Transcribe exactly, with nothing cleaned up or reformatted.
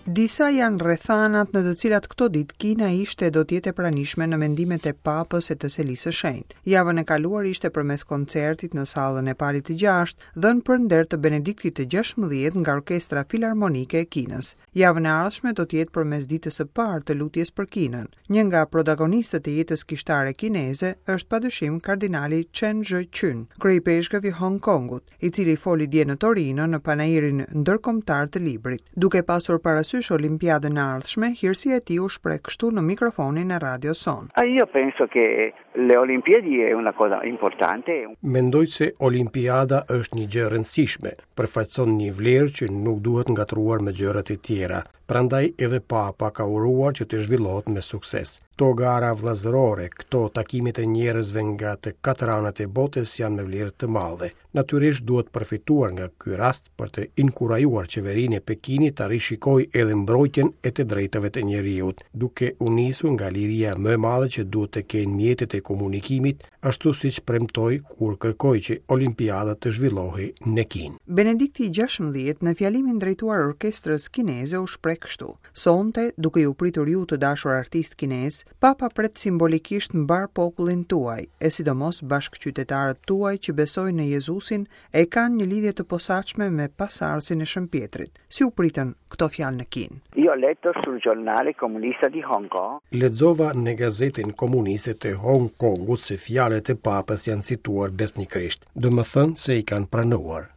Disa janë rrethanat në të cilat këto ditë Kina ishte do të jetë e pranishme në mendimet e Papës e të Selisë së Shenjtë. Javën e kaluar ishte përmes koncertit në sallën e Palit të Gjashtë, dhënë për nder të Benediktit të gjashtëmbëdhjetë nga Orkestra Filarmonike e Kinës. Javën e ardhshme do të jetë përmes ditës së parë të lutjes për Kinën. Një nga protagonistët e jetës kishtare kineze është padyshim kardinali Chen Zhëqun, kryeipeshkëv i Hong Kongut, i cili foli dje në Torino në panairin ndërkombëtar të librit. Duke pasur parasysh Olimpiadën e ardhshme, hirësia e tij u shpreh kështu në mikrofonin e radios sonë. Ah, io penso che le Olimpiadi è una cosa importante. Mendoj se Olimpiada është një gjë e rëndësishme, përfaqëson një vlerë që nuk duhet ngatërruar me gjërat e tjera. Prandaj edhe Papa ka uruar që të zhvillohet me sukses. Këto gara vëllazërore, këto takimet e njerëzve nga të katër anët e botës janë me vlerë të madhe. Natyrisht duhet përfituar nga ky rast për të inkurajuar qeverinë e Pekinit ta rishikojë edhe mbrojtjen e të drejtave të njeriut, duke u nisur nga liria më e madhe që duhet të kenë mjetet e komunikimit, ashtu siç premtoi kur kërkoi që Olimpiada të zhvillohej në Kinë. Benedikti i gjashtëmbëdhjetë në fjalimin drejtuar orkestrës kineze u shpreh kështu: Sonte, duke ju pritur ju të dashur artist kinez, Papa pret simbolikisht mbar popullin tuaj, e sidomos bashkëqytetarët tuaj që besojnë në Jezusin e kanë një lidhje të posaçme me pasardhësin e Shën Pjetrit. Si u pritën këto fjalë në Kinë? Io ho letto sul giornale comunista di Hong Kong. Lexova në gazetën komuniste të Hong Kongut se fjalët e Papës janë cituar besnikërisht, do më thënë se i kanë pranuar.